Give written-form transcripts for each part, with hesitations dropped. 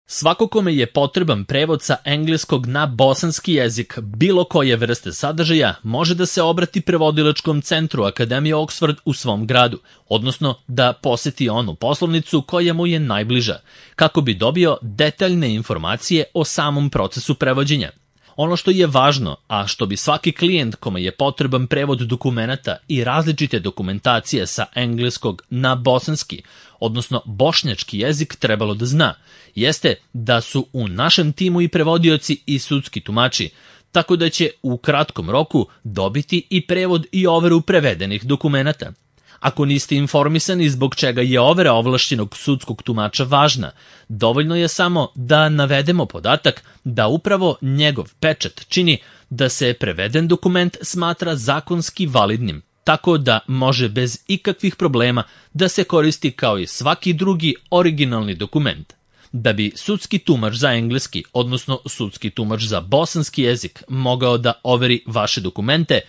Svako kome je potreban prevod sa engleskog na bosanski jezik bilo koje vrste sadržaja može da se obrati prevodilačkom centru Akademije Oxford u svom gradu, odnosno da poseti onu poslovnicu koja mu je najbliža, kako bi dobio detaljne informacije o samom procesu prevođenja. Ono što je važno, a što bi svaki klijent kome je potreban prevod dokumenata i različite dokumentacije sa engleskog na bosanski, odnosno bošnjački jezik trebalo da zna, jeste da su u našem timu i prevodioci i sudski tumači, tako da će u kratkom roku dobiti i prevod i overu prevedenih dokumenata. Ako niste informisani zbog čega je overa ovlašćenog sudskog tumača važna, dovoljno je samo da navedemo podatak da upravo njegov pečat čini da se preveden dokument smatra zakonski validnim, tako da može bez ikakvih problema da se koristi kao i svaki drugi originalni dokument. Da bi sudski tumač za engleski, odnosno sudski tumač za bosanski jezik mogao da overi vaše dokumente,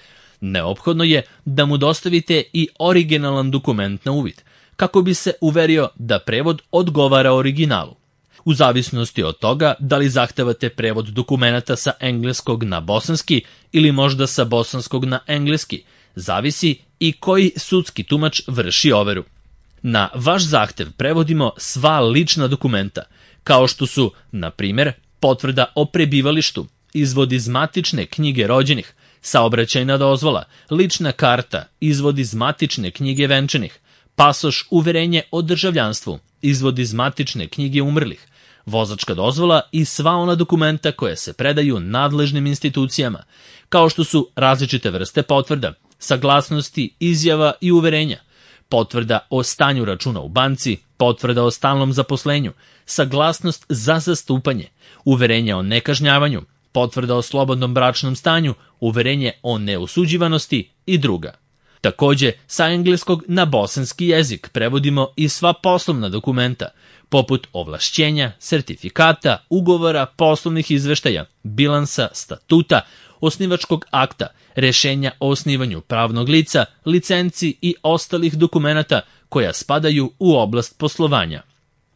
neophodno je da mu dostavite i originalan dokument na uvid, kako bi se uverio da prevod odgovara originalu. U zavisnosti od toga da li zahtevate prevod dokumenata sa engleskog na bosanski ili možda sa bosanskog na engleski, zavisi i koji sudski tumač vrši overu. Na vaš zahtev prevodimo sva lična dokumenta, kao što su, na primjer, potvrda o prebivalištu, izvod iz matične knjige rođenih, saobraćajna dozvola, lična karta, izvod iz matične knjige venčanih, pasoš, uverenje o državljanstvu, izvod iz matične knjige umrlih, vozačka dozvola i sva ona dokumenta koje se predaju nadležnim institucijama, kao što su različite vrste potvrda, saglasnosti, izjava i uverenja, potvrda o stanju računa u banci, potvrda o stalnom zaposlenju, saglasnost za zastupanje, uverenje o nekažnjavanju, potvrda o slobodnom bračnom stanju, uverenje o neosuđivanosti i druga. Takođe, sa engleskog na bosanski jezik prevodimo i sva poslovna dokumenta, poput ovlašćenja, sertifikata, ugovora, poslovnih izveštaja, bilansa, statuta, osnivačkog akta, rešenja o osnivanju pravnog lica, licenci i ostalih dokumenata koja spadaju u oblast poslovanja.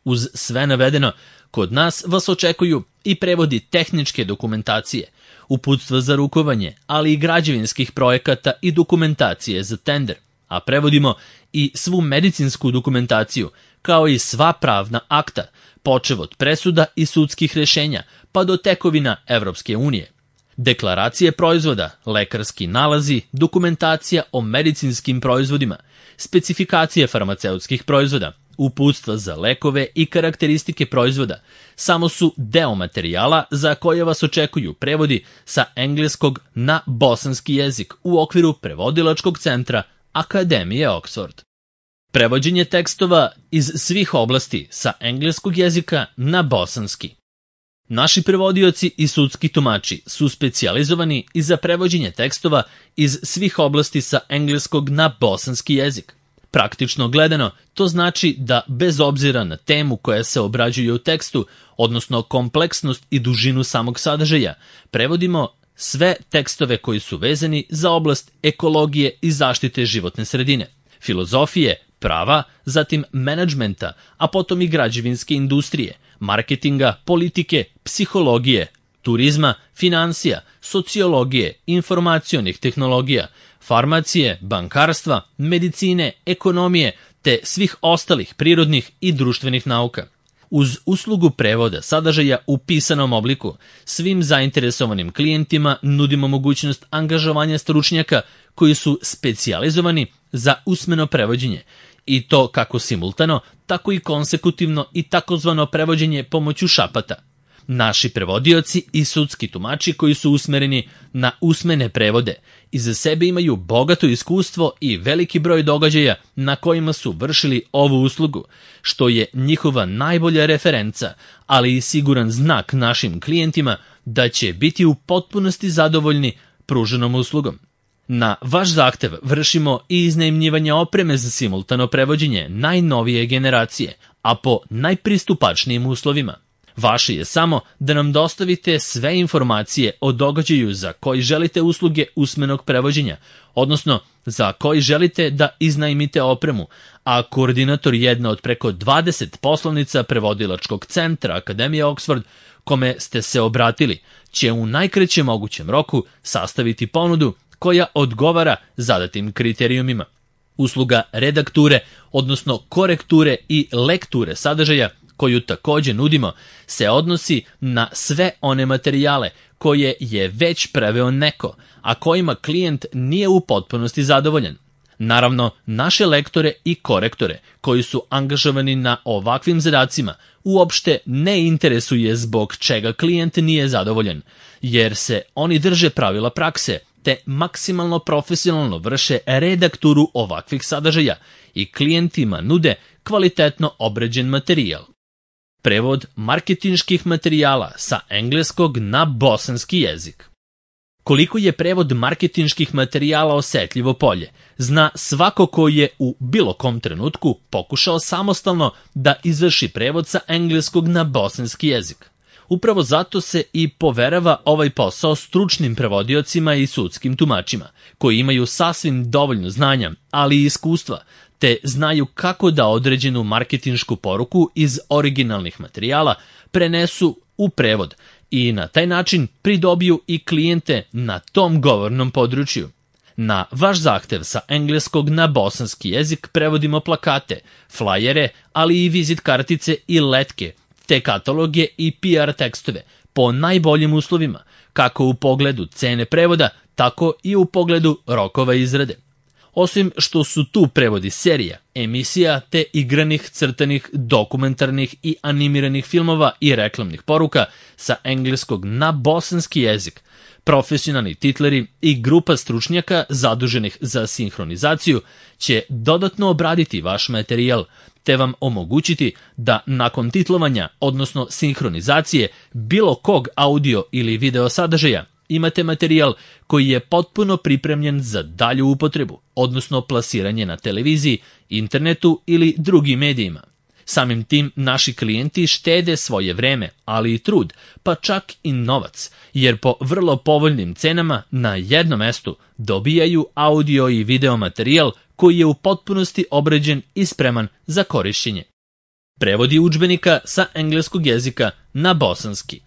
Uz sve navedeno, kod nas vas očekuju i prevodi tehničke dokumentacije, uputstva za rukovanje, ali i građevinskih projekata i dokumentacije za tender, a prevodimo i svu medicinsku dokumentaciju, kao i sva pravna akta, počev od presuda i sudskih rešenja, pa do tekovina Evropske unije. Deklaracije proizvoda, lekarski nalazi, dokumentacija o medicinskim proizvodima, specifikacije farmaceutskih proizvoda, uputstva za lekove i karakteristike proizvoda samo su deo materijala za koje vas očekuju prevodi sa engleskog na bosanski jezik u okviru prevodilačkog centra Akademije Oxford. Prevođenje tekstova iz svih oblasti sa engleskog jezika na bosanski. Naši prevodioci i sudski tumači su specijalizovani i za prevođenje tekstova iz svih oblasti sa engleskog na bosanski jezik. Praktično gledano, to znači da bez obzira na temu koja se obrađuje u tekstu, odnosno kompleksnost i dužinu samog sadržaja, prevodimo sve tekstove koji su vezani za oblast ekologije i zaštite životne sredine, filozofije, prava, zatim menadžmenta, a potom i građevinske industrije, marketinga, politike, psihologije, turizma, finansija, sociologije, informacionih tehnologija, farmacije, bankarstva, medicine, ekonomije, te svih ostalih prirodnih i društvenih nauka. Uz uslugu prevoda sadržaja u pisanom obliku, svim zainteresovanim klijentima nudimo mogućnost angažovanja stručnjaka koji su specijalizovani za usmeno prevođenje, i to kako simultano, tako i konsekutivno i takozvano prevođenje pomoću šapata. Naši prevodioci i sudski tumači koji su usmereni na usmene prevode iza sebe imaju bogato iskustvo i veliki broj događaja na kojima su vršili ovu uslugu, što je njihova najbolja referenca, ali i siguran znak našim klijentima da će biti u potpunosti zadovoljni pruženom uslugom. Na vaš zahtev vršimo i iznajmljivanje opreme za simultano prevođenje najnovije generacije, a po najpristupačnijim uslovima. Vaše je samo da nam dostavite sve informacije o događaju za koji želite usluge usmenog prevođenja, odnosno za koji želite da iznajmite opremu, a koordinator jedne od preko 20 poslovnica prevodilačkog centra Akademije Oxford, kome ste se obratili, će u najkraćem mogućem roku sastaviti ponudu koja odgovara zadatim kriterijumima. Usluga redakture, odnosno korekture i lekture sadržaja, koju takođe nudimo, se odnosi na sve one materijale koje je već preveo neko, a kojima klijent nije u potpunosti zadovoljan. Naravno, naše lektore i korektore koji su angažovani na ovakvim zadacima uopšte ne interesuje zbog čega klijent nije zadovoljan, jer se oni drže pravila prakse te maksimalno profesionalno vrše redakturu ovakvih sadržaja i klijentima nude kvalitetno obrađen materijal. Prevod marketinških materijala sa engleskog na bosanski jezik. Koliko je prevod marketinških materijala osetljivo polje, zna svako ko je u bilo kom trenutku pokušao samostalno da izvrši prevod sa engleskog na bosanski jezik. Upravo zato se i poverava ovaj posao stručnim prevodiocima i sudskim tumačima, koji imaju sasvim dovoljno znanja, ali i iskustva, te znaju kako da određenu marketinšku poruku iz originalnih materijala prenesu u prevod i na taj način pridobiju i klijente na tom govornom području. Na vaš zahtev sa engleskog na bosanski jezik prevodimo plakate, flajere, ali i vizit kartice i letke, te kataloge i PR tekstove po najboljim uslovima, kako u pogledu cene prevoda, tako i u pogledu rokova izrade. Osim što su tu prevodi serija, emisija te igranih, crtanih, dokumentarnih i animiranih filmova i reklamnih poruka sa engleskog na bosanski jezik, profesionalni titleri i grupa stručnjaka zaduženih za sinhronizaciju će dodatno obraditi vaš materijal, te vam omogućiti da nakon titlovanja, odnosno sinhronizacije bilo kog audio ili video sadržaja, imate materijal koji je potpuno pripremljen za dalju upotrebu, odnosno plasiranje na televiziji, internetu ili drugim medijima. Samim tim naši klijenti štede svoje vreme, ali i trud, pa čak i novac, jer po vrlo povoljnim cenama na jednom mestu dobijaju audio i video materijal koji je u potpunosti obrađen i spreman za korišćenje. Prevodi udžbenika sa engleskog jezika na bosanski.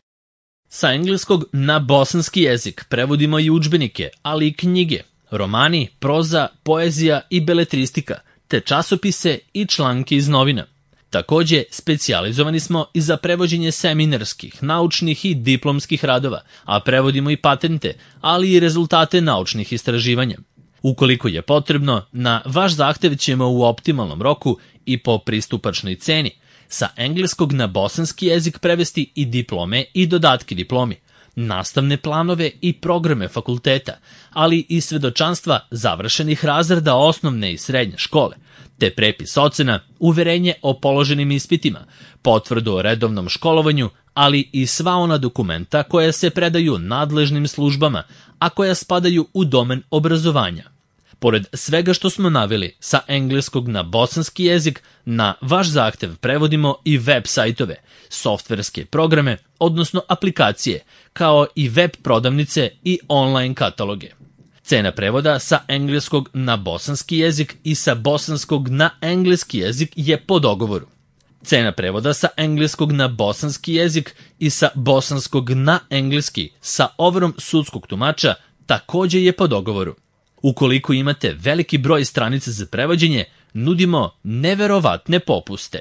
Sa engleskog na bosanski jezik prevodimo i udžbenike, ali i knjige, romani, proza, poezija i beletristika, te časopise i članke iz novina. Takođe, specijalizovani smo i za prevođenje seminarskih, naučnih i diplomskih radova, a prevodimo i patente, ali i rezultate naučnih istraživanja. Ukoliko je potrebno, na vaš zahtev ćemo u optimalnom roku i po pristupačnoj ceni sa engleskog na bosanski jezik prevesti i diplome i dodatke diplomi, nastavne planove i programe fakulteta, ali i svedočanstva završenih razreda osnovne i srednje škole, te prepis ocena, uverenje o položenim ispitima, potvrdu o redovnom školovanju, ali i sva ona dokumenta koja se predaju nadležnim službama, a koja spadaju u domen obrazovanja. Pored svega što smo naveli, sa engleskog na bosanski jezik, na vaš zahtev prevodimo i web sajtove, softverske programe, odnosno aplikacije, kao i web prodavnice i online kataloge. Cena prevoda sa engleskog na bosanski jezik i sa bosanskog na engleski jezik je po dogovoru. Cena prevoda sa engleskog na bosanski jezik i sa bosanskog na engleski sa overom sudskog tumača takođe je po dogovoru. Ukoliko imate veliki broj stranica za prevođenje, nudimo neverovatne popuste.